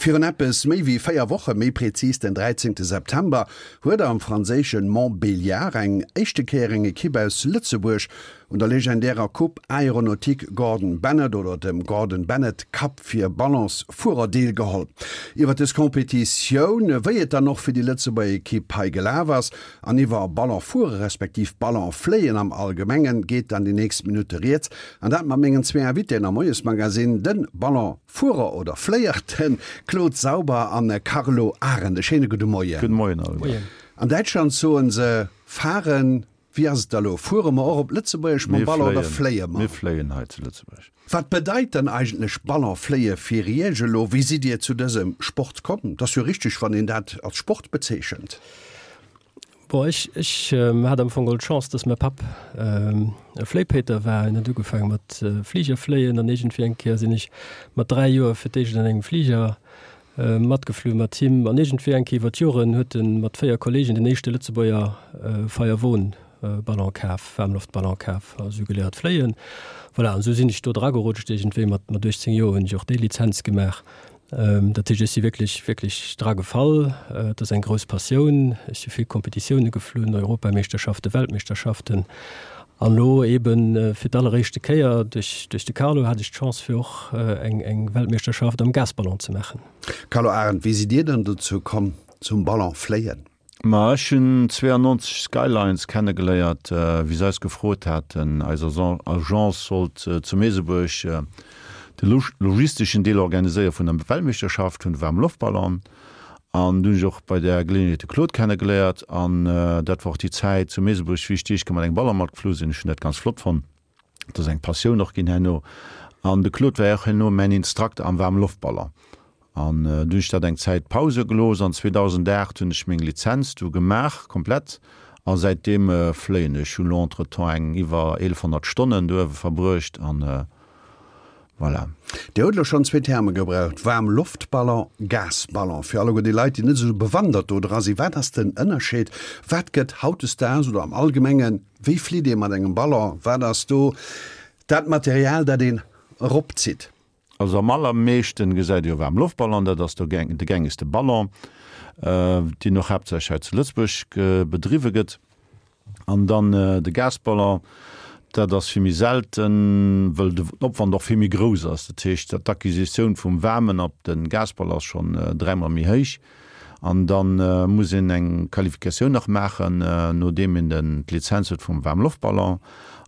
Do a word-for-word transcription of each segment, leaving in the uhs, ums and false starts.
Virun eppes méi wéi véier Woche, méi prezis den dräizéngte September, huet am franséische Montbéliard eng éischte Kéier eng Ekipp aus Lëtzebuerg un der legendärer Coupe Aéronautique Gordon Bennett oder dem Gordon Bennett Cup fir Ballonsfuerer deelgeholl. Iwwer dës Competitioun, wéi et dann och fir déi Lëtzebuerger Ekipp hei gelaf ass, an iwwer Ballonfuere respektiv Ballonfléien am Allgemengen geet dann déi nächst Minutte rieds. An dat mat mengen zwee Invitéen am Moiesmagazine, de Ballonfuerer oder Fléier, de Claude Sauber an Carlo Arendt. E schéine gudde Moien. Gudde Moien alleguer. An Däitschland soen se fahren. Wéi ass et da lo? Fuere mer och op Lëtzebuergesch mam Ballon oder fléie mer? Mir fléien hei zu Lëtzebuerg. Wat bedeit dann eigentlech Ballonfléie fir Iech elo? Wéi sidd Dir zu dësem Sport komm? Et ass jo richteg, wann een dat als Sport bezeechent. Bon, ech, ech hat am Fong geholl d'Chance, dass mäi Papp e Fléipéiter war. Hien huet ugefaange mat Fliger fléien an iergendwéi eng Kéier sinn ech mat dräi Joer fir d'éischt an engem Fliger matgeflu mat him. An iergendwéi eng Kéier iwwer d'Joren huet e mat véier Kolleegen den éischte Lëtzebuerger Feierwon-Ballon kaf, Waarmloftballon kaf a sou geléiert fléien. Voilà, an esou sinn ech do dragerutscht. Iergendwéi mat uechtzéng Joer hunn ech och déi Lizenz gemaach. Dat heescht, ech si wierklech, wierklech dra gefall. Et ass eng grouss Passioun. Ech si vill Kompetitioune geflunn, Europameeschterschaften, Weltmeeschterschaften. An elo eebe fir d'alleréischte Kéier duerch, duerch de Carlo hat ech d'Chance fir och eng, eng Weltmeeschterschaft am Gasballon ze maachen. Carlo Arendt, wéi sidd Dir dann dozou komm zum Ballonfléien? Ma ech hunn zweeannonzeg Skylines kennegeléiert, wéi se eis gefrot haten, eis Agence sollt zu Meesebuerg de logisteschen Deel organiséiere vun der Weltmeeschterschaft vun de Waarmloftballon. An du hunn ech och bei där Geleeënheet de Claude kennegeléiert. An dat war och déi Zäit zu Meesebuerg, wéi ech déi éischt Kéier mat engem Ballon matgeflu sinn. Ech hunn dat ganz flott fonnt. Dat ass eng Passioun och ginn herno. An de Claude war och herno mäin Instrukter am Waarmloftballon. An du hunn ech dat eng Zäit Pause gelooss an zweedausendacht hunn ech meng Lizenz du gemaach komplett a säitdeem fléien ech. Hunn elo entretemps eng iwwer eelefhonnert Stonnen do uewe verbruecht an voilà. Dir hutt elo schonn zwee Terme gebraucht, Waarmloftballon, Gasballon. Fir alleguer déi Leit, déi net esou bewandert do dra sinn, wat ass den Ënnerscheed? Wat gëtt hautdesdaags oder am Allgemengen, wéi flitt ee mat engem Ballon? Wat ass do dat Material, dat een eropzitt? Also am allermeeschten gesäit ee jo Waarmloftballon, dat ass de gängegste Ballon, deen och haaptsächlech hei zu Lëtzebuerg bedriwwe gëtt. An dann de Gasballon, dat ass vill méi selten, wëll den Opwand och vill méi grouss ass. Dat heescht, d'Acquisitioun vum Waarmen op de Gasballon ass schonn dräimol méi héich. An da muss een eng Qualifikatioun nach maachen, nodeem een den d'Lizenz huet vum Waarmloftballon.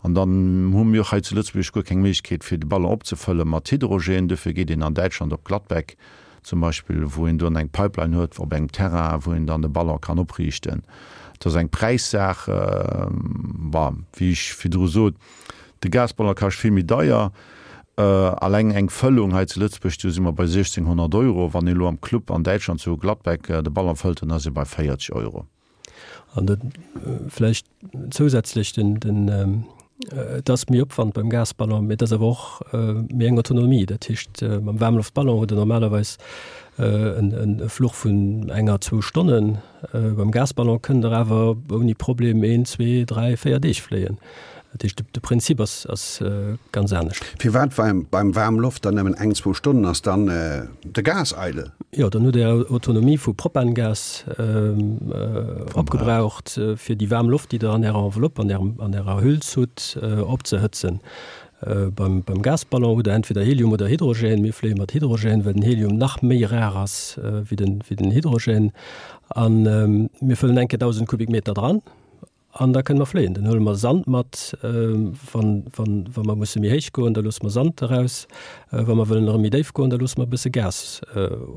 An dann hu mir och hei zu Lëtzebuerg guer keng Méiglechkeet, fir de Ballon opzefëlle mat Hydrogène. Dofir geet een an Däitschland op Gladbeck zum Beispill, wou een do eng Pipeline huet op engem Terrain, wou een dann de Ballon kann opriichten. Dat ass eng Präissaach. Bon, wéi ech virdru sot, de Gasballon kascht vill méi deier. Alleng eng Fëllung hei zu Lëtzebuerg, do si mer bei siechzénghonnert Euro. Wann een elo am Club an Däitschland zu Gladbeck de Ballon fëllt, dann ass ee bei véierzeg Euro. An da vläicht zousätzlech den, den, et ass méi Opwand beim Gasballon, mee et ass awer och méi eng Autonomie. Dat heescht, mam Waarmloftballon hutt Der normalerweis en e Fluch vun enger, zwou Stonnen. Beim Gasballon kënnt Der awer ouni Problem een, zwee, dräi, véier Deeg fléien. Dat heescht, de Prinzip ass, ass ganz anescht. Firwat beim, beim Waarmloft dann nëmmen eng, zwou Stonnen? Ass dann de Gas eidel? Jo, dann hutt Der Autonomie vu Propangas opgebraucht, fir déi waarm Loft, déi Der an Ärer Enveloppe, an Ärem, an Ärer Hüls hutt, opzehëtzen. Beim, beim Gasballon hutt Der entweder Helium oder Hydrogène. Mir fléie mat Hydrogène, well den Helium nach méi rar ass wéi den, wéi den Hydrogène. A mir fëllen eng Kéier dausend Kubikmeter dran. An da kënne mer fléien. Dann huele mer Sand mat, wann, wann, wa mer musse méi héich goen, da loosse mer Sand eraus. Wa mer wëllen erëm méi déif goen, da loosse mer e bësse Gas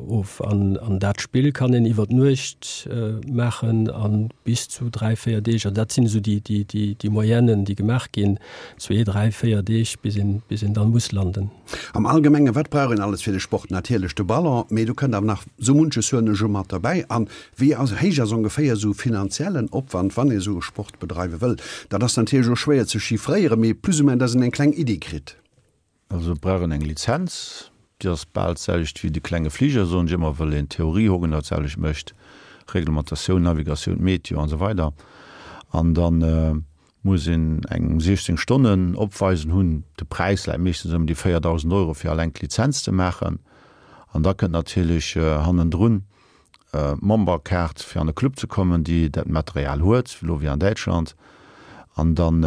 of. An, an dat Spill kann een iwwer d'Nuecht maachen a bis zu dräi, véier Deeg. Also dat sinn esou déi, déi, déi, déi Moyennen, déi gemaach ginn, zwee, dräi, véier Deeg, bis een, bis een dann muss landen. Am Allgemengen, wat brauch een alles fir de Sport? Natierlech de Ballon, mee do kënnt awer nach sou munches, huelen ech u, mat derbäi. An wéi ass, héich ass ongeféier esou finanziellen Opwand, wann ee sou e Sport bedreiwe wëll? Dat ass natierlech och schwéier ze chiffréieren, mee plus ou moins, dass een eng kleng Iddi kritt. Also et brauch een eng Lizenz, déi ass bal d'selwecht wéi de klenge Fliger, soen ech ëmmer, wëll een d'Theorie och genau d'selwecht mécht, Reglementatioun, Navigatioun, Meteo an esou weider. An dann muss een eng siechzéng Stonnen opweisen hunn. De Präis läit meeschtens ëm déi véierdausend Euro fir alleng d'Lizenz ze maachen. An da kënnt natierlech hannendrun d'Memberkaart fir an de Club ze kommen, déi dat Material huet, elo wéi an Däitschland. An dann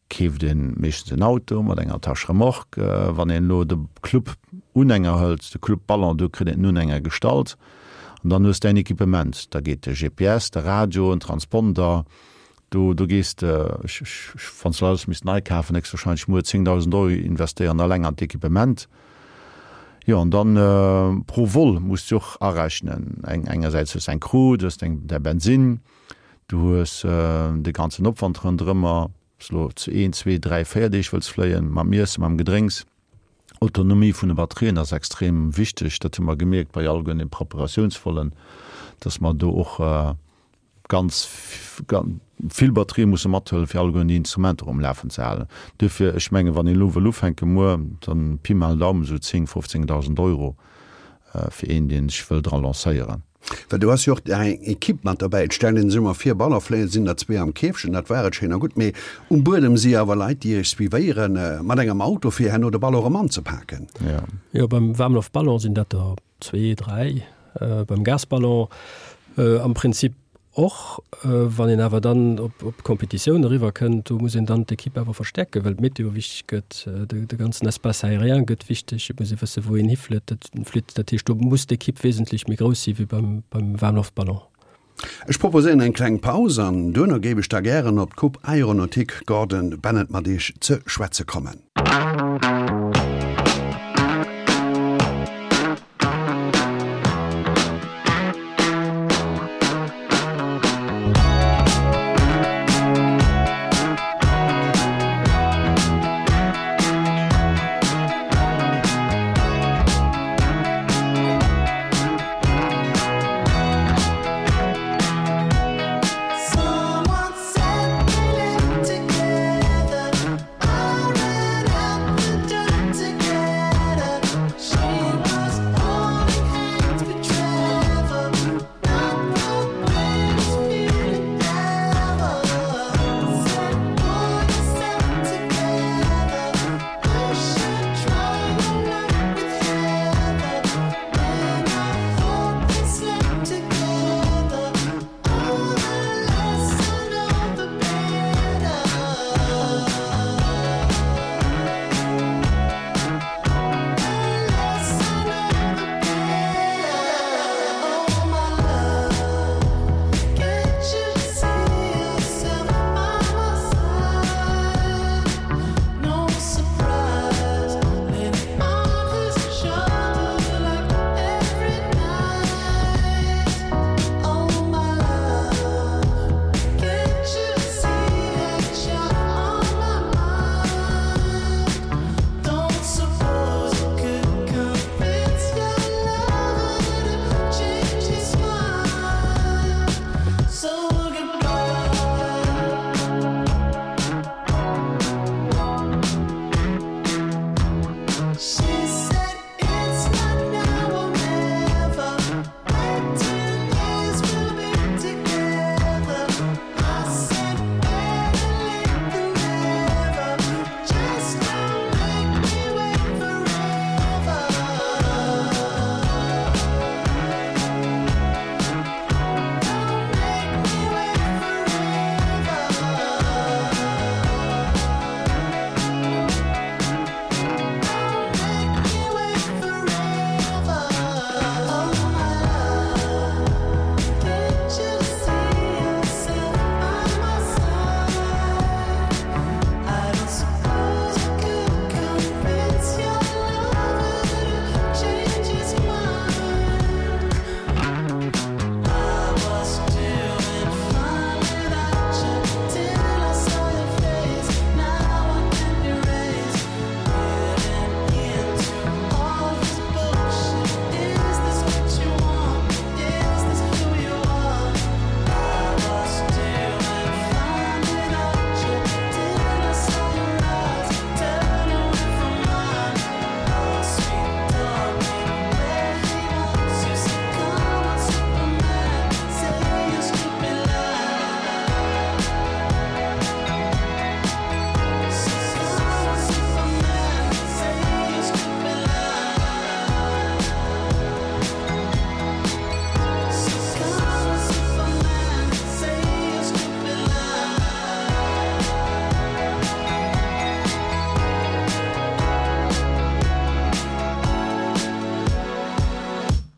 keeft een meeschtens en Auto mat enger Tâche remorque. Wann een elo de Club Unhänger hëlt, de Club Ballon, do kritt een den Unhänger gestallt an dann hues däin Equipement. Da geet de G P S, de Radio, en Transponder, do do gees de, ech ech wann s de alles misst nei kafen, héchstwahrscheinlech muer zéngdausend Euro investéieren alleng an d'Equipement. Jo, an dann pro Vol muss de och arechnen. Eng engersäits hues de eng Crew, du hues deng däi Bensinn, du hues de ganzen Opwand ronderëmmer. Ob s elo zu een, zwee, dräi, véier Deeg wëlls fléien, mam Iessen, mam Gedrénks. Autonomie vun de Batterien ass extrem wichteg. Dat hu mer gemierkt bei alleguerten den Preparatiounsvollen, dass mer do och ganz vill Batterië musse mathuelen, fir alleguerten déi Instrumenter um Lafen ze halen. Duerfir, ech mengen, wann een elo wëll ufänken muer, dann Pi mal Daumen esou zéng, fofzéngdausend Euro fir een, dee sech wëll dra lancéieren. Well do ass jo och eng Ekipp mat derbäi. Et stellt een sech ëmmer vir, Ballonfléien sinn der zwee am Käfchen, dat war et schéin a gutt, mee um Buedem si awer Leit, déi iech suivéieren mat engem Auto, fir herno de Ballon erëm anzepaken. Jo. Jo, beim Waarmloftballon sinn dat der zwee, dräi, beim Gasballon am Prinzip och. Wann een awer dann op op d'Competitioun eriwwer kënnt, do muss een dann d'Ekipp awer verstäerken, well d'Meteo wichteg gëtt, de de ganzen Espace aérien gëtt wichteg, et muss ee wësse wou een hiflitt. Dat flitt, dat heescht do muss d'Ekipp wesentlech méi grouss si wéi beim beim Waarmloftballon. Ech proposéieren eng kleng Paus an duerno géif ech da gären op d'Coupe Aéronautique Gordon Bennett mat Iech ze schwätze kommen.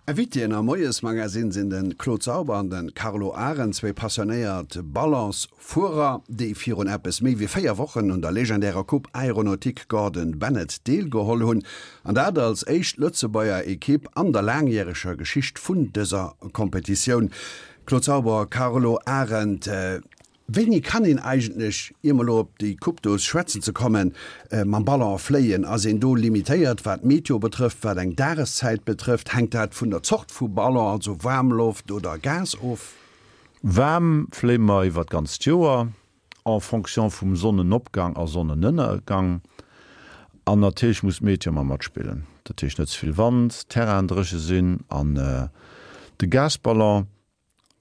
Invitéen am Moiesmagazin sinn de Claude Sauber an de Carlo Arendt, zwee passionéiert Ballonsfuerer, déi virun eppes méi wéi véier Wochen un der legendärer Coupe Aéronautique Gordon Bennett deelgeholl hunn, an dat als éischt Lëtzebuerger Ekipp an der laangjäreger Geschicht vun dëser Kompetitioun. Claude Sauber, Carlo Arendt, Wéini kann een eigentlech, ier mer elo op déi Coupe do schwätzen ze kommen, mam Ballon fléien? Ass een do limitéiert, wat d'Meteo betrëfft, wat eng Dageszäit betrëfft? Hänkt dat vun der Zort vu Ballon, also Waarmloft oder Gas, of? Waarm fléie mer iwwer d'ganzt Joer, en fonction vum Sonnenopgang a Sonnenënnergang. An natierlech muss d'Meteo ëmmer matspillen, dat heescht net ze vill Wand, Terrainen dréche sinn. An de Gasballon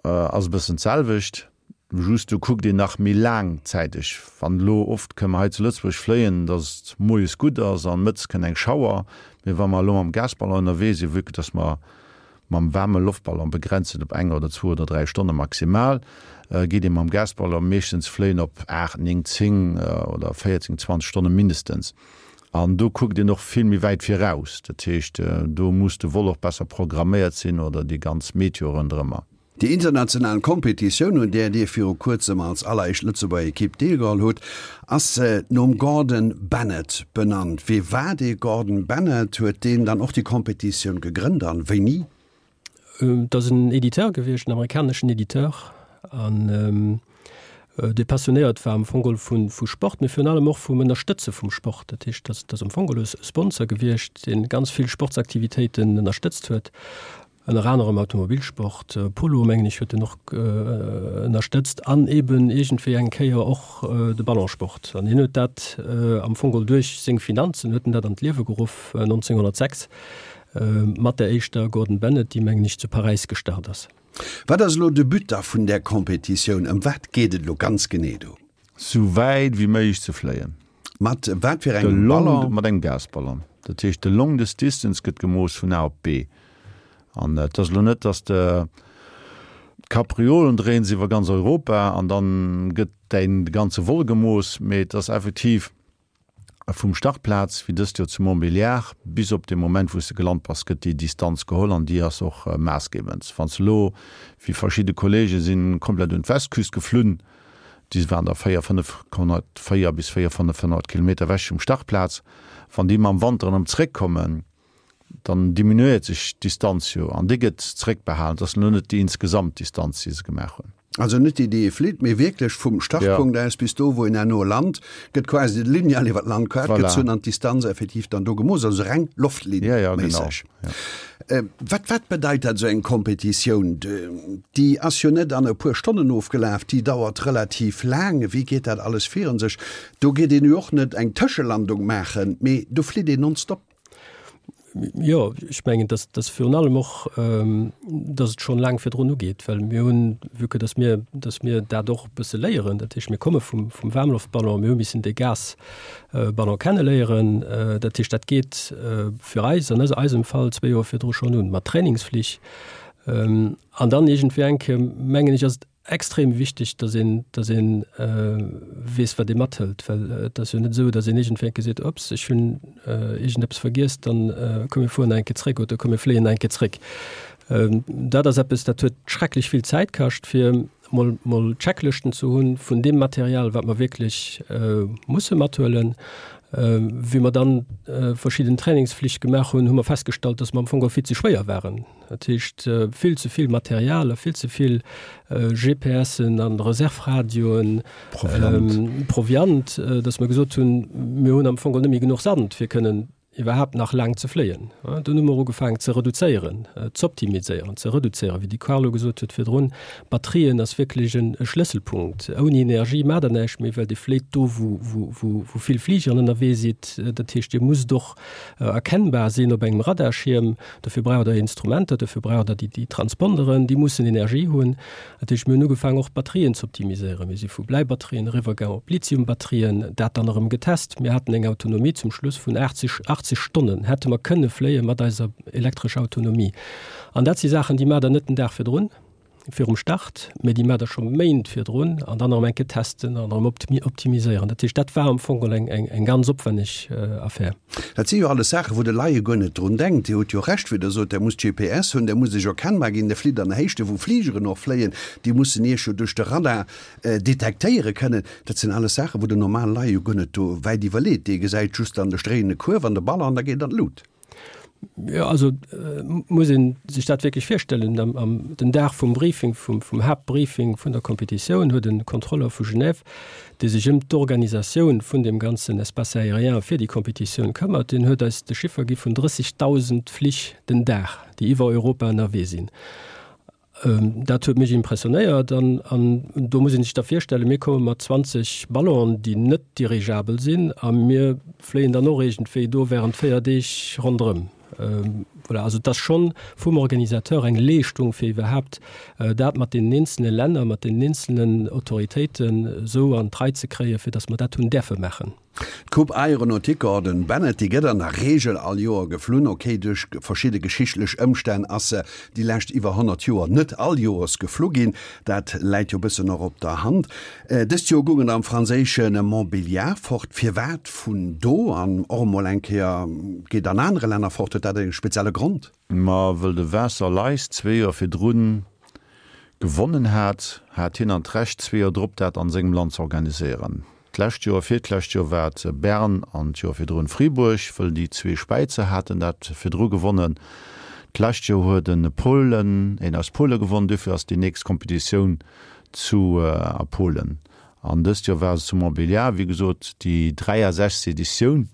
ass e bëssen d'selwecht. Just do kuckt een nach méi laangzäiteg. Wann elo, oft kënne mer hei zu Lëtzebuerg fléien, datt et moies gutt ass an mëttes kënnt eng Schauer. Mee wa mer elo mam Gasballon ënnerwee sinn, vue que datt mer mam waarme Loftballon begrenzt sinn op eng oder zwou oder dräi Stonne maximal, geet ee mam Gasballon meeschtens fléien op aacht, néng, zéng oder véierzéng, zwanzeg Stonne mindestens. An do kuckt een och vill méi wäit viraus. Dat heescht, do muss de Vol och besser programméiert sinn oder déi ganz Meteo ronderëmmer. Déi international Kompetitioun, un där Dir viru kuerzem als alleréischt Lëtzebuerger Ekipp deelgeholl hutt, ass nom Gordon Bennett benannt. Wie war dee Gordon Bennett? Huet deen dann och déi Kompetitioun gegrënnt an wéini? Et ass en Editeur gewiescht, en amerikaneschen Editeur, an dee passionéiert war am Fong geholl vu Sport, mee virun allem och vum Ënnerstëtze vum Sport. Dat heescht, dat ass am Fong geholl e Sponsor gewiescht, dee ganz vill Sportsaktivitéiten ënnerstëtzt huet. Ënner anerem Automobilsport, Polo mengen ech huet en och ënnerstëtzt an eben iergendwéi eng Kéier och de Ballonsport. An hien huet dat am Fong geholl duerch seng Finanzen huet en dat an d'Liewe geruff nonzénghonnertsechs mat der éischter Gordon Bennett, déi mengen ech zu Paräis gestart ass. Wat ass elo de But da vun där Competitioun? Ëm wat geet et elo ganz genee do? Sou wäit wéi méiglech ze fléien. Mat wat fir engem Ballon? Mat engem Gasballon. Dat heescht, de longest distance gëtt gemooss vun A op B. An et ass elo net, datt de d'Kapriolen dréien se iwwer ganz Europa an dann gëtt däin de ganze Vol gemooss, mee et ass effektiv vum Startplaz, wéi dëst Joer zu Montbéliard, bis op de Moment, wou s de gelant bass, gëtt déi Distanz geholl an déi ass och maassgebend. Wann s de elo, wéi verschidde Kollege sinn komplett un d'Westküst geflunn, déi waren da véier, fënnefhonnert, véier bis véier, fënnefhonnert Kilometer ewech vum Startplaz, wann déi mam Wanter erëm zréckkommen, dann diminuéiert sech d'Distanz jo an déi gëtt zréckbehalen. Et ass elo net déi insgesamt Distanz, déi se gemaach hunn. Also net déi, déi ee flitt, mee wierklech vum Startpunkt aus bis do, wou een herno lant, gëtt quasi de Lineal iwwer d'Landkaart gezunn an d'Distanz effektiv dann do gemooss, also reng Loftlinnméisseg. Wat, wat bedeit dat, esou eng Kompetitioun? Déi ass jo net an e puer Stonnen ofgelaf, déi dauert relativ laang. Wéi geet dat alles virun sech? Do geet een jo och net eng Tëschelandung maachen, mee do flitt een nonstop. Jo, ech mengen, dass dass virun allem och, dass et schonn laang virdrun ugeet, well mir hunn, vue que dass mir, dass mir dat och e bësse léieren, dat heescht, mir komme vum vum Waarmloftballon, mir hu missen dee Gasballon kenneléieren. Dat heescht, dat geet fir eis an eisem Fall zwee Joer virdru schonn un mat Trainingsflich. An dann iergendwéi eng Kéier, mengen ech, ass et extrem wichteg, dass een, dass een weess, wat ee mathëlt, well et ass jo net esou, dass een iergendwéi eng Kéier seet, Ups, ech hunn iergendeppes vergiess, dann komm mir fueren nach eng Kéier zréck oder komm mir fléien nach eng Kéier zréck. Dat ass eppes, dat huet schrecklech vill Zäit kascht, fir mol, mol Checklëschten ze hunn vun deem Material, wat mer wierklech musse mathuelen. Wéi mer dann verschidden Trainingsflich gemaach hunn, hu mer festgestallt, dass mer am Fong geholl vill ze schwéier waren. Dat heescht, vill ze vill Material a vill ze vill G P Sen an Reservradioen, Proviant, Proviant, dass mer gesot hunn, mir hunn am Fong geholl net méi genuch Sand, fir kënnen iwwerhaapt nach laang ze fléien. Dunn hu mer ugefaangen ze reduzéieren, z'optimiséieren, ze reduzéieren, wéi de Carlo gesot huet virdrun, Batterien ass wierklech e Schlësselpunkt. Ouni Energie maacht Der näischt méi, well Dir fléit do, wou wou vill Fligeren ënnerwee sidd. Dat heescht, Dir musst och erkennbar sinn op engem Radarschierm. Dofir braucht Der Instrumenter, dofir braucht Der déi Transponderen, déi mussen Energie hunn. Dat heescht, mir hunn ugefaangen och d'Batterien z'optimiséieren. Mir si vu Bläibatterien eriwwergaangen op Lithiumbatterien, dat dann erëm getest. Mir haten eng Autonomie zum Schluss vun achtzeg achtzeg Stonnen hätte mer kënne fléie mat eiser elektrescher Autonomie. An dat si Saachen, déi maacht Der net den Dag virdrun. virum Start, mee déi maacht Der scho Méint virdrun an dann erëm eng Kéier testen an erëm optimiséieren. Dat heescht, dat war am Fong eng, eng, eng ganz opwänneg Affär. Dat si jo alles Saachen, wou de Laie guer net drun denkt. Dir hutt jo Recht, wéi Der sot, Der musst G P S hunn, Der musst Iech erkennbar ginn, Der flitt an Héichten, wou Fligeren och fléien, déi mussen Iech jo duerch de Radar detektéiere kënnen. Dat sinn alles Saachen, wou den normale Laie jo guer net do wäit iwwerleet. Dee gesäit just dann de stréiene Kuerf an de Ballon an da geet an d'Lut. Jo, also muss ee sech dat wierklech virstellen. Am, am, den Dag vum Briefing, vum, vum Haaptbriefing vun der Competitioun huet e Kontrolleur vu Genève, dee sech ëm d'Organisatioun vun deem ganzen Espace aérien fir déi Competitioun këmmert, deen huet eis de Chiffer gi vun drëssigdausend Flich den Dag, déi iwwer Europa ënnerwee sinn. Dat huet mech impressionéiert an, an do muss een sech da virstellen, mir komme mat zwanzeg Ballonen, déi net dirigeabel sinn a mir fléien dann och iergendwéi do während véier Deeg ronderëm. Voilà, also et ass schonn vum Organisateur eng Leeschtung, fir iwwerhaapt dat mat deenen eenzelne Länner, mat deenen eenzelnen Autoritéiten esou an d'Rei ze kréien, fir datt mer dat hunn däerfe maachen. D'Coupe Aéronautique Gordon Bennett, déi gëtt an der Reegel all Joer geflunn. Ok, duerch verschidde geschichtlech Ëmstänn ass se déi lescht iwwer honnert Joer net all Joers geflu ginn. Dat läit jo e bëssen och op der Hand. Dëst Joer goung et am franséische Montbéliard fort. Firwat vun do an och emol eng Kéier geet an anere Länner fort? Huet dat e spezielle Grond? Ma wëll de Vincent Leis zwee Joer virdrun gewonnen hat, hat hien an d'Recht zwee Joer drop dat an sengem Land ze organiséieren. D'lescht Joer, virtlescht Joer war et Bern an d'Joer virdrun Fribourg, wëll déi zwee Späizer haten dat virdru gewonnen. D'lescht Joer huet en Polen, een aus Pole gewonnen, duerfir ass déi nächst Kompetitioun zu a Polen. An dëst Joer war se zu Montbéliard, wéi gesot déi dräiasechzeg Editioun.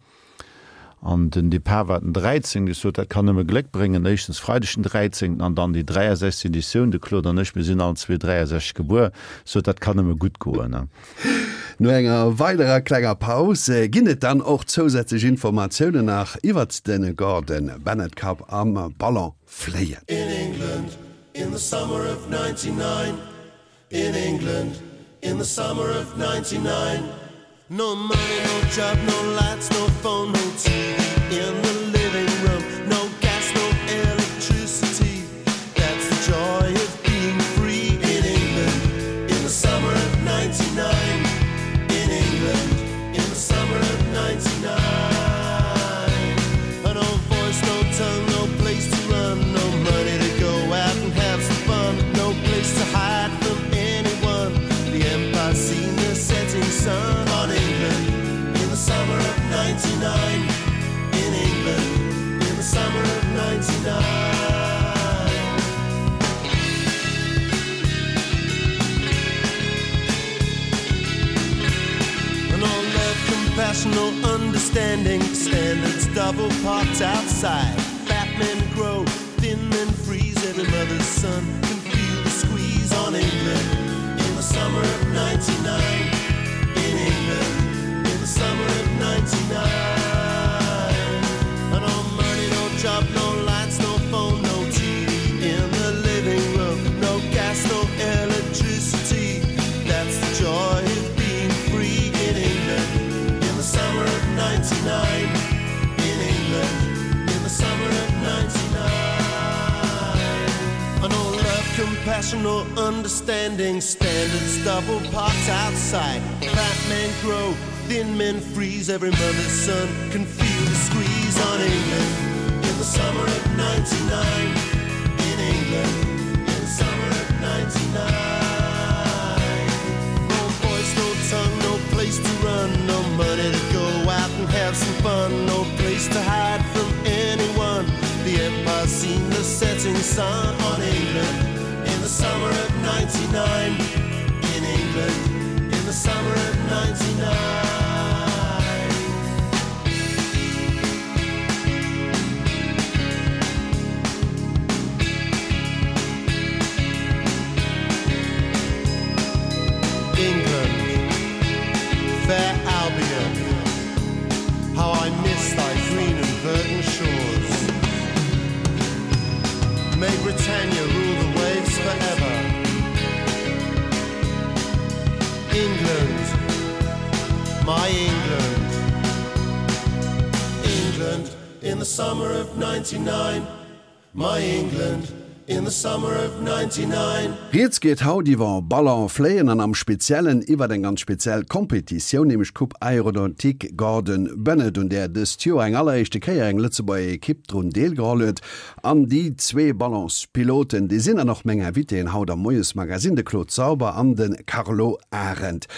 An den Depart war den dräizéngten. Ech sot, dat kann nëmme Gléck bréngen, éischtens Freideg den dräizéngten an dann déi dräiasechzeg Editioun. De Claude an ech, mir sinn allen zwee dräiasechzeg gebuer. Ech sot, dat kann nëmme gutt goen. No enger weiderer klenger Paus ginn et dann och zousätzlech Informatiounen nach iwwert de Gordon Bennett Cup am Ballonfléien. In England in the summer of ninety-nine, in England in the summer of ninety-nine. No money, no job, no lights, no phone, no T V in the living room, no gas, no electricity. That's the joy of being free in England in the summer of ninety-nine. In England in the summer of ninety-nine. No voice, no tongue, no place to run, no money to go out and have some fun, no place to hide from anyone. The empire's seen the setting sun on England in the summer of ninety-nine. In England in the summer of ninety-nine. No love, compassion, no understanding. Standards double parked outside. Fat men grow, thin men freeze. Every mother's son can feel the squeeze on England in the summer of ninety-nine. In England in the summer of ninety-nine. No money, no job, no lights, no phone, no T V in the living room, no gas, no electricity. That's the joy of being free in England in the summer of ninety-nine. In England in the summer of ninety-nine. No love, compassion, no understanding. Standards double parked outside. Fat men grow, thin men freeze. Every mother's son can feel the squeeze on England in the summer of ninety-nine. In England in the summer of ninety-nine. No voice, no tongue, no place to run, no money to go out and have some fun, no place to hide from anyone. The empire's seen the setting sun on England in the summer of ninety-nine. In England in the summer of ninety-nine. England, fair Albion, how I miss thy green and verdant shores. May Britannia rule the waves forever. England, my England. England in the summer of ninety-nine. My England in the summer of ninety-nine. Rieds geet haut iwwer Ballon fléien an am Speziellen iwwer eng ganz speziell Kompetitioun, nämlech d'Coupe Aéronautique Gordon Bennett, un där dëst Joer eng alleréischte Kéier eng Lëtzebuerger Ekipp drun deelgeholl huet. An déi zwee Ballonspiloten, déi sinn dann och meng Invitéen haut am Moiesmagazine, de Claude Sauber an de Carlo Arendt.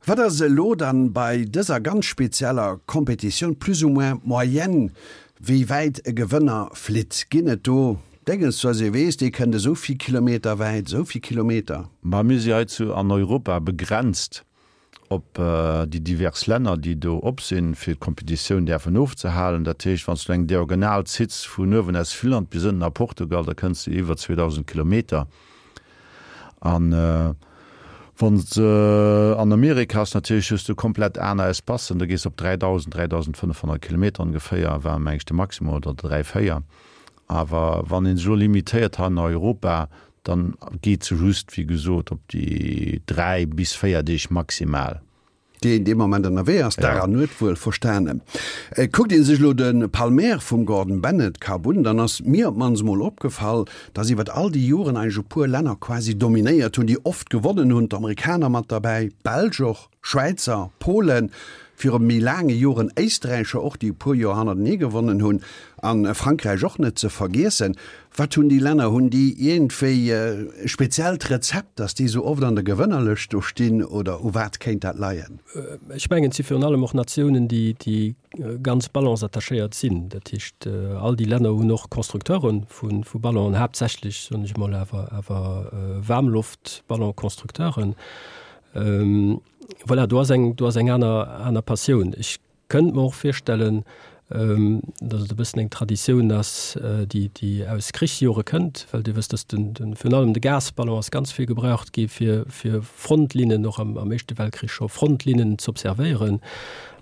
Wat ass elo dann bei dëser ganz spezieller Kompetitioun plus ou moins d'Moyenne, wéi wäit e Gewënner flitt? Ginn et do Dénges, dass ee weess, dee kënnt esou vill Kilometer wäit, esou vill Kilometer? Ma mir si hei zu an Europa begrenzt op déi divers Länner, déi do op sinn, fir d'Kompetitioun däerfen ofzehalen. Dat heescht, wann s du eng Diagonal zitts vun uewen aus Finnland bis ënnen a Portugal, da kënns du iwwer zweedausend Kilometer. An wann s de an Amerika ass natierlech, hues du komplett aner Espacen, da gees op dräidausend, dräidausendfënnefhonnert Kilometer ongeféier, war meng ech de Maximum, oder dräi, véier. Awer wann ee sech elo limitéiert hei an Europa, dann geet se just, wéi gesot, op déi dräi bis véier Deeg maximal. Déi een dee Moment ënnerwee ass, Dag an Nuet wuel verstanen. Kuckt ee sech elo de Palmaire vum Gordon Bennett Cup un, dann ass mir op d'mannst emol opgefall, dass iwwert all déi Joren eigentlech e puer Länner quasi dominéiert hunn, déi oft gewonnen hunn, d'Amerikaner mat derbäi, d'Belsch och, Schwäizer, Polen, viru méi laange Joren Éisträicher och, déi e puer Joer hannertenee gewonnen hunn, a Frankräich och net ze vergiessen. Wat hunn déi Länner? Hunn déi iergendwéi e speziellt Rezept, datt déi esou oft an der Gewënnerlëscht do stinn, oder u wat kéint dat leien? Ech mengen, et si virun allem och Natiounen, déi, déi ganz ballonsattachéiert sinn. Dat heescht, all déi Länner hunn och Constructeure vu, vu Ballonen, haaptsächlech, soen ech emol, awer, awer Waarmloftballonconstructeuren. Voilà, do ass eng, do ass eng aner, aner Passioun. Ech kënnt mer och virstellen, datt et e bëssen eng Traditioun ass, déi, déi aus Krichsjore kënnt, well Dir wësst, datt den, den, virun allem de Gasballon ass ganz vill gebraucht gi fir, fir Frontlinnen, och am, am Éischte Weltkrich scho Frontlinnen z'observéieren.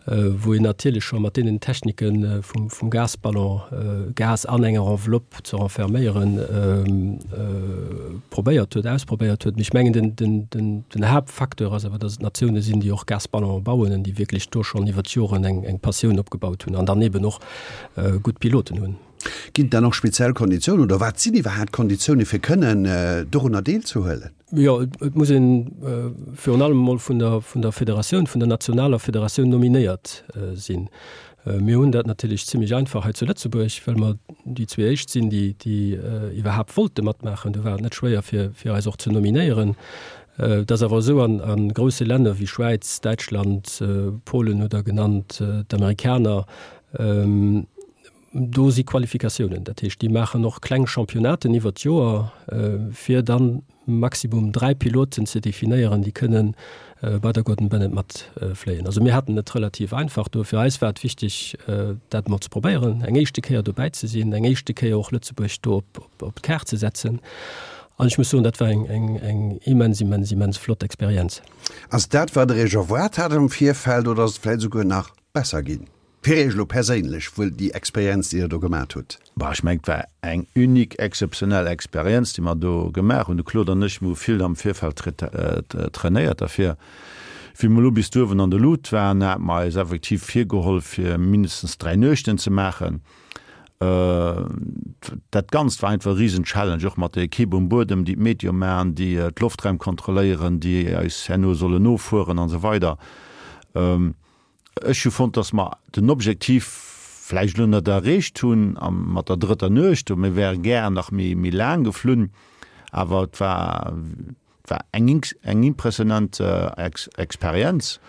wou een natierlech scho mat deenen Technike vum Gasballon, Gas an enger Enveloppe ze renferméieren, probéiert huet, ausprobéiert huet. Mee ech mengen, den Haaptfacteur ass awer, datt et Natioune sinn, déi och Gasballonen bauen an déi wierklech do schonn iwwer d'Joren eng Passioun opgebaut hunn an dann eeben och gutt Piloten hunn. Ginn et dann och speziell Konditiounen oder wat sinn iwwerhaapt d'Konditioune fir kënnen dorunner deelzehuelen? Jo, et muss een virun allem emol vun der, vun der Federatioun, vun der nationaler Federatioun nominéiert sinn. Mir hunn dat natierlech zimlech einfach hei zu Lëtzebuerg, well mer déi zwee éischt sinn, déi, déi iwwerhaapt wollte matmaachen. Do war et net schwéier fir, fir eis och ze nominéieren. Et ass awer esou, an a grousse Länner wéi Schwäiz, Däitschland, Polen hutt Der genannt, d'Amerikaner, Do si Qualifikatiounen, dat heescht, déi maachen och kleng Championnaten iwwert d'Joer, fir dann maximum dräi Piloten ze definéieren, déi kënne bei der Gordon Bennett matfléien. Also mir haten et relativ einfach do. Fir eis war et wichteg, dat emol ze probéieren, eng éischte Kéier dobäi ze sinn, eng éischte Kéier och Lëtzebuerg do op d'Kaart ze setzen. An ech muss soen, dat war eng, eng, eng immens, immens, immens flott Experienz. Ass dat, wat Der Iech erwaart hat am Virfeld, oder ass et vläicht esouguer nach besser ginn? Fir Iech elo perséinlech wuel déi Experienz, déi Der do gemat hutt? Bah, ech mengen, et war eng unique, exzeptionell Experienz, déi mer do gemaach hunn. De Claude an ech, mir hu vill am Virfeld trainéiert derfir. Wéi mer elo bis do uewen an der Lut waren, hate mer eis effektiv virgeholl, fir mindestens dräi Nuechten ze maachen. Dat Ganzt war einfach e risen Challenge, och mat der Ekipp um Buedem, déi d'Meteo maachen, déi d'Loftraim kontrolléieren, déi eis herno sollen nofueren an esou weider. Ech hu fonnt, dass mer den Objektiv vläicht elo net erreecht hunn mat der drëtter Nuecht. Mir wäre gär nach méi méi laang geflunn, awer et war war eng eng impressionant Experienz,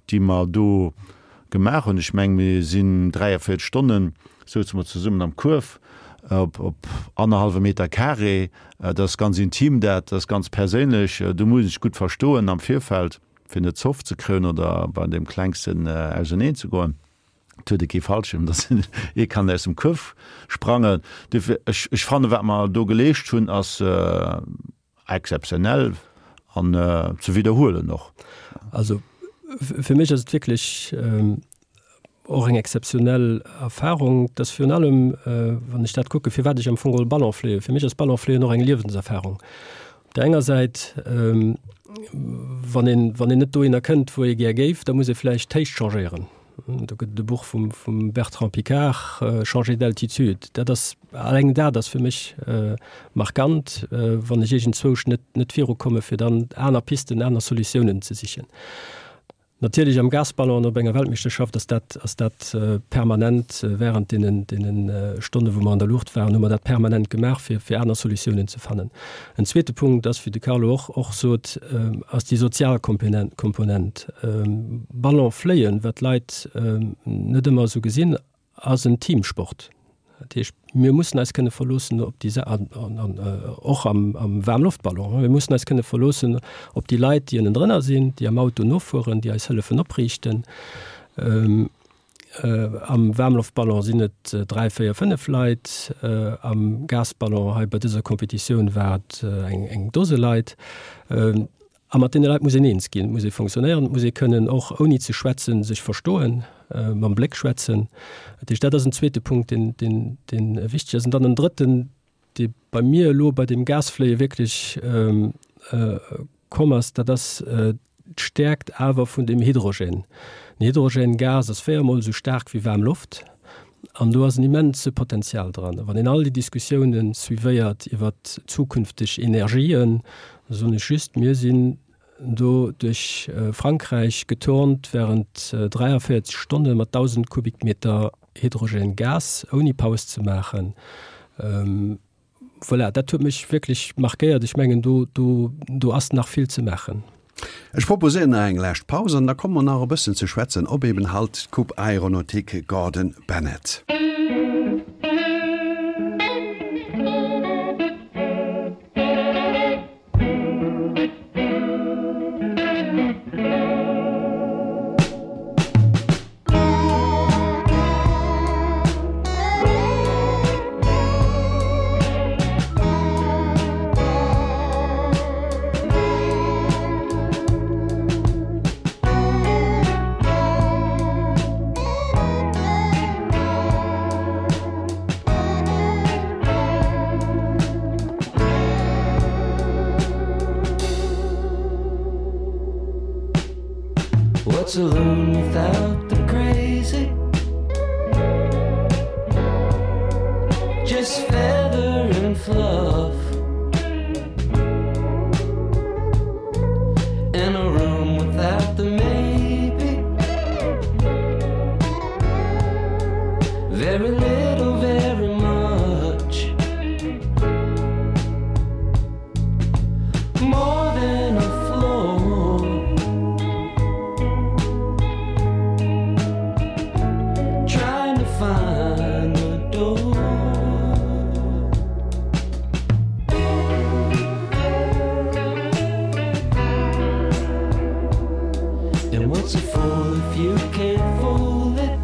déi mer do gemaach hunn. Ech meng, mir sinn dräiavéierteg Stonnen souze mer zesummen am Kuerf op op annerhallwe Meter carré. Dat ass ganz intim, dat ass ganz perséinlech. Do muss ee sech gutt verstoen am Virfeld. Fir net Zoff ze kréien oder bei deem Klengsten auseneen ze goen. Et huet ee kee Fallschierm, datt ee kann aus dem Kuerf sprangen. Duerfir, ech, ech fannen, wat mer do geleescht hunn, ass exzeptionell an ze widderhuelen och. Also fir mech ass et wierklech och eng exzeptionell Erfahrung, dass virun allem, wann ech dat kucken, firwat ech am Fong geholl Ballon fléien, fir mech ass Ballon fléien och eng Liewenserfahrung. Op der enger Säit, wann een, wann een net dohinner kënnt, wou ee gär géif, da muss ee vläicht d'Héicht changéieren. Do gëtt et e Buch vum, vum Bertrand Piccard, Changer d'altitude. Dat ass, alleng dat ass fir mech markant, wann ech iergendzwousch net, net virukomme fir dann aner Pisten, aner Solutiounen ze sichen. Natierlech am Gasballon op enger Weltmeeschterschaft ass dat, ass dat permanent während deenen, deenen Stonne wou mer an der Luucht waren, hu mer dat permanent gemaach fir, fir aner Solutiounen ze fannen. En zweete Punkt ass, wéi de Carlo och, och sot, ass déi sozial Komponent, Komponent. Ballon fléien, wat d'Leit net ëmmer esou gesinn, ass en Teamsport. Dat heescht, mir mussen eis kënne verloossen op déi, an, an, an och am, am Waarmloftballon, mir mussen eis kënne verloossen op déi Leit, déi ënnendrënner sinn, déi am Auto nofueren, déi eis hëllefen opriichten. Ähm, äh, am Waarmloftballon sinn et dräi, véier, fënnef Leit, äh, am Gasballon hei bei dëser Competitioun war et eng, eng Dose Leit. Ähm, A mat deene Leit muss een eens ginn, muss ee fonctionnéieren, muss ee kënnen och ouni ze schwätzen sech verstoen, mam Bléck schwätzen. Dat heescht, dat ass en zweete Punkt, deen, deen, deen wichteg ass. An dann en drëtten, dee bei mir elo bei deem Gasfléie wierklech komm ass, dat ass d'Stäerkt awer vun dem Hydrogène. Den Hydrogène-Gas ass véiermol esou staark wéi waarm Loft. An do ass en immense Potenzial dran. A wann een all déi Diskussiounen suivéiert iwwer zukünfteg Energien, da soen ech just, mir sinn do duerch Frankräich geturnt während dräiavéierzeg Stonne mat dausend Kubikmeter Hydrogengas, ouni Paus ze maachen. Voilà, dat huet mech wierklech markéiert. Ech mengen, do, do, do ass nach vill ze maachen. Ech proposéieren nach eng lescht Paus an da komme mer nach e bëssen ze schwätzen op eben halt d'Coupe Aéronautique Gordon Bennett. What's a loon without the crazy? Just feather and fluff In a room without the maybe Very little, very much More than a floor Trying to find the door And what's a fool if you can't fool it?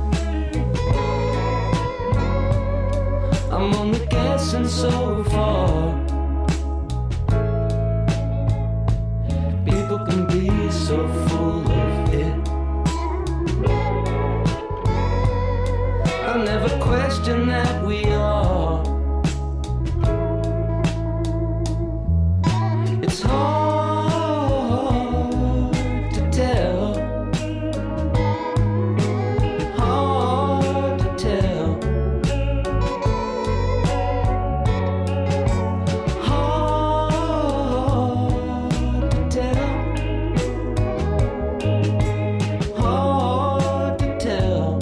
I'm only guessing so far People can be so full of it I never question that we are It's hard to tell Hard to tell Hard to tell Hard to tell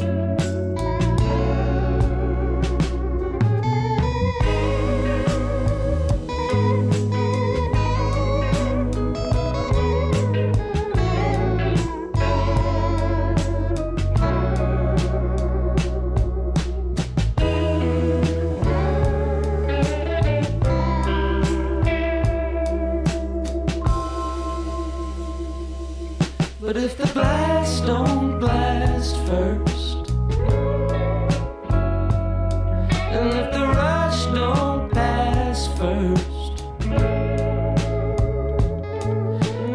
But if the blast don't blast first And if the rush don't pass first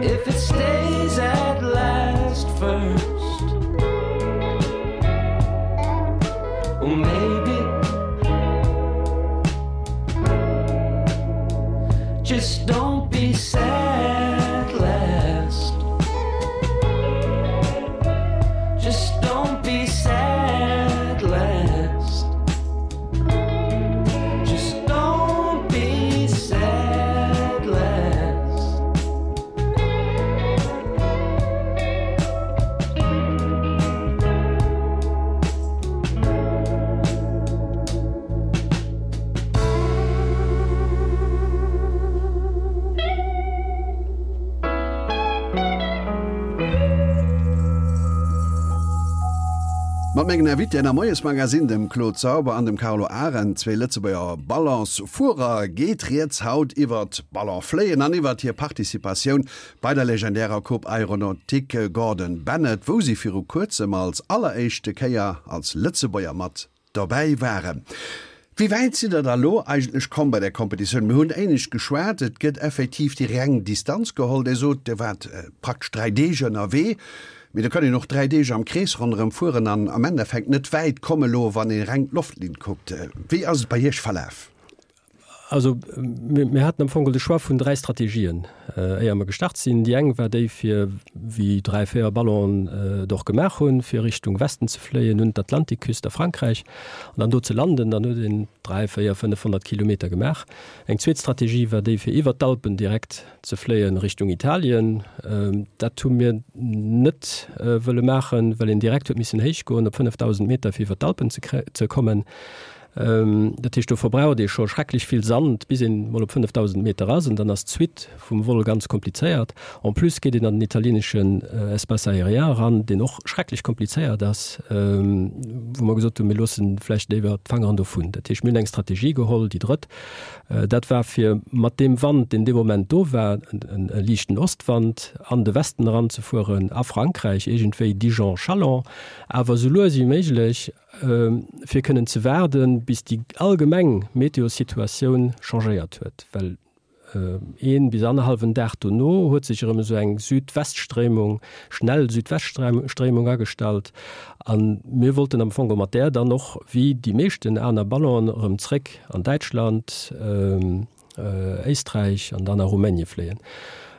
If it stays at last first Well maybe Just don't be sad last Just don't be sad Mat mengen Invitéen am Moiesmagazin, dem Claude Sauber an dem Carlo Arendt, zwee Lëtzebuerger Ballonsfuerer, geet rieds haut iwwert Ballonfléien an iwwert hir Participatioun bei der legendärer Coupe Aéronautique Gordon Bennett, wou si viru kuerzem als alleréischte Kéier als Lëtzebuerger mat dobäi waren. Wéi wäit sidd der da lo eigentlech komm bei där Competitioun? Mir hunn éinescht geschwat, et gëtt effektiv déi reng Distanz geholl. Dir sot, Dir waart praktesch dräi Deeg ënnerwee, mee da kann een och dräi Deeg am Krees ronderëm fueren an am Endeffekt net wäit komme lo, wann ee reng d'Loftlinn kuckt. Wéi ass et bei Iech verlaf? Also mir haten am Fong de Choix vun dräi Strategien, éier mer gestart sinn. Déi eng war déi, fir, wéi dräi, véier Ballonen et och gemaach hunn, fir Richtung Westen ze fléien, un d'Atlantikküst a Frankräich an dann do ze landen. Dann huet een dräi, véier, fënnefhonnert Kilometer gemaach. Eng zweet Strategie war déi, fir iwwert d'Alpen direkt ze fléien Richtung Italien. Dat hu mir net wëlle maachen, well een direkt huet missen héich goen op fënnefdausend Meter, fir iwwert d'Alpen ze kommen. Dat heescht, do verbraucht ee scho schrecklech vill Sand, bis een mol op fënnefdausend Meter ass, an dann ass d'Suite vum Vol ganz komplizéiert. En plus geet een an den italieeneschen Espace aérien eran, deen och schrecklech komplizéiert ass, wou mer gesot hunn, mir loossen vläicht léiwer d'Fangeren dovun. Dat heescht, mir hunn eng Strategie geholl, déi drëtt, dat war fir mat deem Wand, deen dee Moment do war, e liichten Ostwand, an de Westen eranzefueren, a Frankräich, iergendwéi Dijon-Chalon, awer esou lues wéi méiglech, fir kënnen ze waarden, bis déi allgemeng Meteosituatioun changéiert huet, well een bis annerhallwen Dag dono huet sech erëm esou eng Südweststréimung, schnell Südweststréimung agestallt a mir wollten am Fong mat där dann och, wéi déi meeschten aner Ballonen, erëm zréck an Däitschland, Éisträich an dann a Rumänie fléien.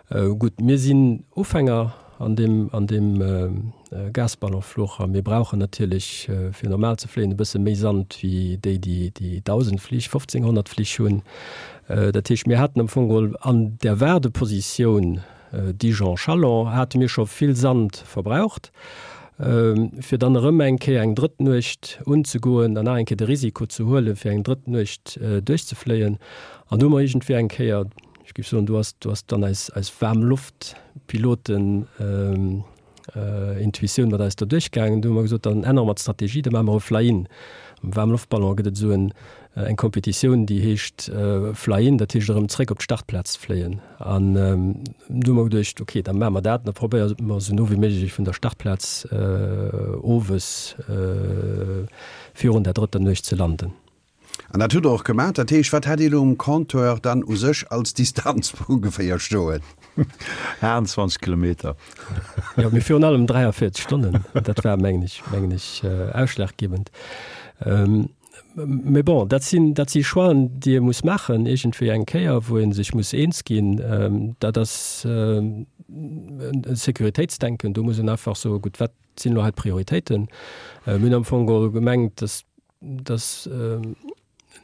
Gutt, mir sinn Ufänger an deem, an deem Gasballonfluch a mir brauchen natierlech, fir normal ze fléien, e bësse méi Sand wéi déi, déi déi dausend Flich, fofzénghonnert Flich hunn. Dat heescht, mir haten am Fong geholl an der Waardepositioun Dijon-Chalon hate mir scho vill Sand verbraucht, fir dann erëm eng Kéier eng drëtt Nuecht unzegoen an nach eng Kéier de Risiko ze huelen, fir eng drëtt Nuecht duerchzefléien. An do hu mer iergendwéi eng Kéier, ech géif soen, do ass, do ass dann eis, eis Waarmloftpiloten Intuitioun mat eis do duerchgaangen. Do hu mer gesot, dann ännere mer d'Strategie, da maache mer e Fly-in. Am Waarmloftballon gëtt et esou en, eng Competitioun, déi heescht Fly-in, dat heescht erëm zréck op d'Startplaz fléien. An do hu mer geduecht, okay, da maache mer dat, da probéiere mer esou no wéi méiglech vun der Startplaz owes virun der drëtter Nuecht ze landen. An dat hutt Der och gemaach. Dat heescht, wat hat Dir elo um Compteur dann u sech als Distanz ongeféier stoen? achtundzwanzeg Kilometer. Jo, mee virun allem dräiavéierzeg Stonnen. Dat war, mengen ech, mengen ech, ausschlaggebend. Mee bon, dat sinn, dat si Choixen, déi ee muss maachen iergendwéi eng Kéier, wou ee sech muss eens ginn. Dat ass e Sécuritéitsdenken. Do muss een einfach soen, gutt, wat sinn elo hei d'Prioritéiten? Mir hunn am Fong geholl gemengt, dass, dass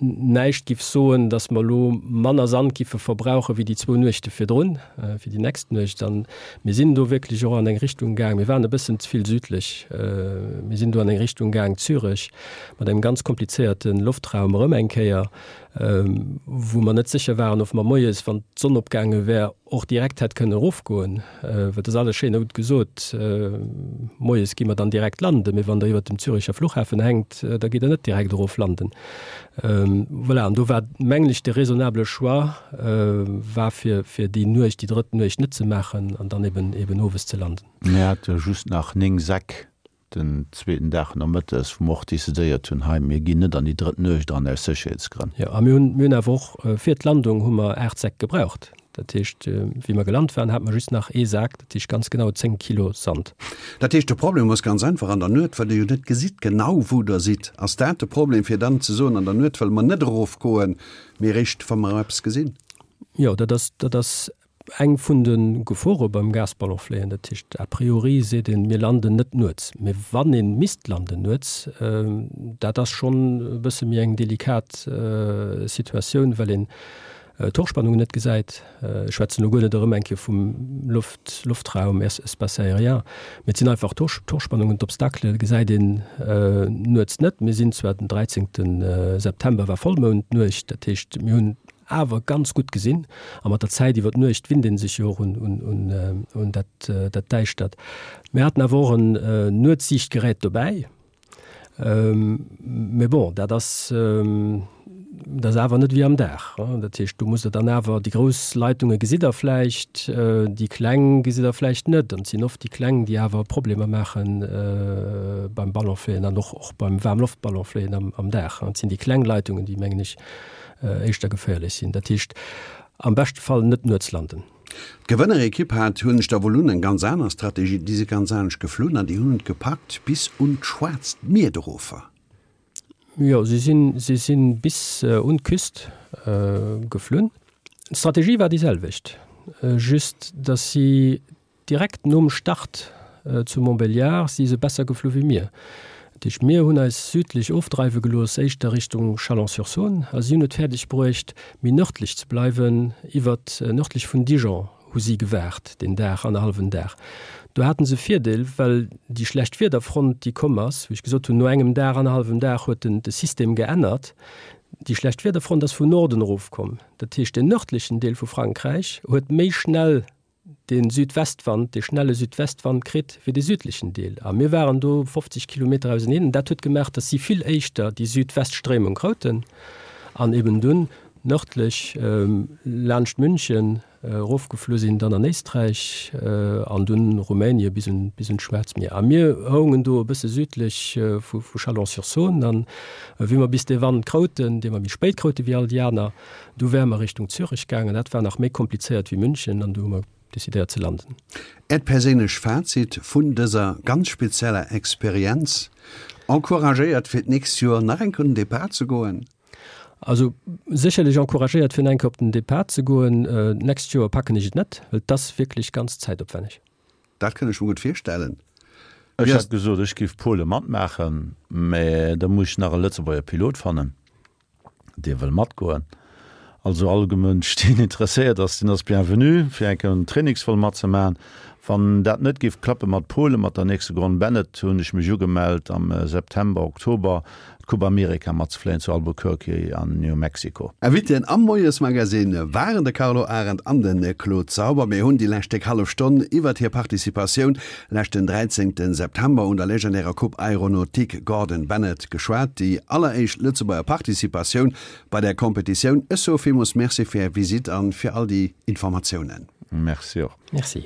näischt giff soen, dass mer elo manner Sand giffe verbrauche wéi déi zwou Nuechte virdrun, fir déi nächst Nuecht. An mir sinn do wierklech och an eng Richtung gaang, mir waren e bëssen ze vill südlech, mir sinn do an eng Richtung gaang, Zürech, mat engem ganz komplizéierte Loftraum erëm eng Kéier, wou mer net sécher waren, ob mer moies, wann d'Sonn opgaange wär, och direkt hätt kënnen erofgoen, well et ass alles schéin a gutt gesot, moies gi mer dann direkt landen, mee wann Der iwwert dem Züricher Fluchhafen hänkt, da gitt Der net direkt erof landen. Voilà, an do war, mengen ech, de raisonnable Choix war, fir, fir déi Nuecht, déi drëtt Nuecht net ze maachen an dann eben, eben owes ze landen. Mir hate just nach néng Säck den zweeten Dag nomëttes, wou mer och decidéiert hunn, hei, mir ginn net an déi drëtt Nuecht eran aus Sécherheetsgrënn. Jo, a mir hunn, mir hunn awer och fir d'Landung hu mer aacht Säck gebraucht. Dat heescht, wéi mer gelant waren, hate mer just nach ee Sak, dat heescht ganz genau zéng Kilo Sand. Dat heescht, de Problem ass ganz einfach, an der Nuet, well Der jo net gesitt genau, wou Der sidd. Ass dat de Problem, fir dann ze soen, an der Nuet wëlle mer net erofgoen, mee eréischt, wa mer eppes gesinn? Jo, dat ass, dat ass Eng vun de Gefore beim Gasballonfléien, dat heescht a priori seet een, mir landen net nuets, mee wann ee misst landen nuets, dat ass schonn e bësse méi eng delikat Situatioun, well een d'Hochspannungen net gesäit. Ech schwätzen elo guer net erëm eng Kéier vum Loft, Loftraum, Espace aérien, mee et sinn einfach d'Hochspannungen, d'Obstakele gesäit een nuets net. Mir sinn zwar den dräizéngte September war Vollmoundnuecht, dat heescht mir hunn awer ganz gutt gesinn a mat der Zäit iwwer d'Nuecht winnt ee sech jo och un dat Däischtert. Mir haten awer och en Nuetssiichtgerät dobäi, Mee bon, dat ass, dat ass awer net wéi am Dag. Dat heescht, do musst Der dann awer, déi grouss Leitunge gesitt Der vläicht, déi kleng gesitt Der vläicht net. An et sinn oft déi kleng, déi awer Problemer maache beim Ballonfléien an och, och beim Waarmloftballonfléien am, am Dag. Et sinn déi kleng Leitungen, déi, mengen ech, éischter geféierlech sinn. Dat heescht, am beschte Fall net nuets landen. D'Gewënnerekipp hat, hunn ech da wuel un, eng ganz aner Strategie. Déi si ganz anescht geflunn an déi hunn et gepackt bis un d'Schwaarzt Mier erofer. Jo, si sinn, si sinn bis un d'Küst geflunn. D'Strategie war déi selwecht, just datt si direkt nom Start zu Montbéliard si se besser geflu wéi mir. Dat heescht, mir hunn eis südlech ofdreiwe gelooss, éischter Richtung Chalon-sur-Saône, a si hunn et fäerdeg bruecht, méi nërdlech ze bleiwen. Iwwert nërdlech vun Dijon hu si gewaart deen Dag, annerhallwen Dag. Do haten se e Virdeel, well déi schlecht Wiederfront, déi komm ass, wéi ech gesot hunn, no engem Dag, annerhallwem Dag huet den de System geännert. Déi schlecht Wiederfront ass vun Norden erofkomm. Dat heescht, den nërdlechen Deel vu Frankräich huet méi schnell de Südwestwand, dee schnelle Südwestwand kritt wéi de südlechen Deel. A mir waren do fofzeg Kilometer auseneen. An dat huet gemaach, datt si vill éischter déi Südweststréimung krouten an eben dunn nërdlech laanscht München erofgeflu sinn, dann an Éisträich an dunn Rumänie bis un, bis un d'Schwaarzt Mier. A mir houngen do e bësse südlech vu, vu Chalon-sur-Saône. An wéi mer bis dee Wand krouten, dee mer méi spéit kroute wéi all déi aner, du wäre mer Richtung Zürich gaangen. Dat war nach méi komplizéiert wéi München an du hu mer decidéiert ze landen. Äert perséinlech Fazit vun dëser ganz spezieller Experienz? Encouragéiert fir d'nächst Joer nach eng Kéier un den Depart ze goen? Also sécherlech encouragéiert fir nach eng Kéier op den Depart ze goen. D'nächst Joer packen ech et net, well et ass wierklech ganz zäitopwänneg. Dat kënn ech mer gutt virstellen. Ech hat gesot, ech géif Pole matmaachen, mä da muss ech nach e Lëtzebuerger Pilot fannen, dee wëll matgoen. Also all Mënsch, deen interesséiert ass, deen ass bienvenu, fir eng Kéier en Trainingsvol matzemaachen. Wann dat net géif klappe mat Polen, mat der nächste Grond Bennett, hunn ech mech ugemellt am September, Oktober d'Coupe America matzefléien zu Albuquerque an New Mexico. Invitéen am Moiesmagazine waren de Carlo Arendt an de Claude Sauber. Mir hunn déi lescht déck hallef Stonn iwwert hir Participatioun leschten dräizéngte September un der legendärer Coupe Aéronautique Gordon Bennett geschwat, déi alleréischt Lëtzebuerger Participatioun bei där Competitioun. Ech soe villmools Merci fir Är Visitt an fir all déi Informatiounen. Merci och. Merci.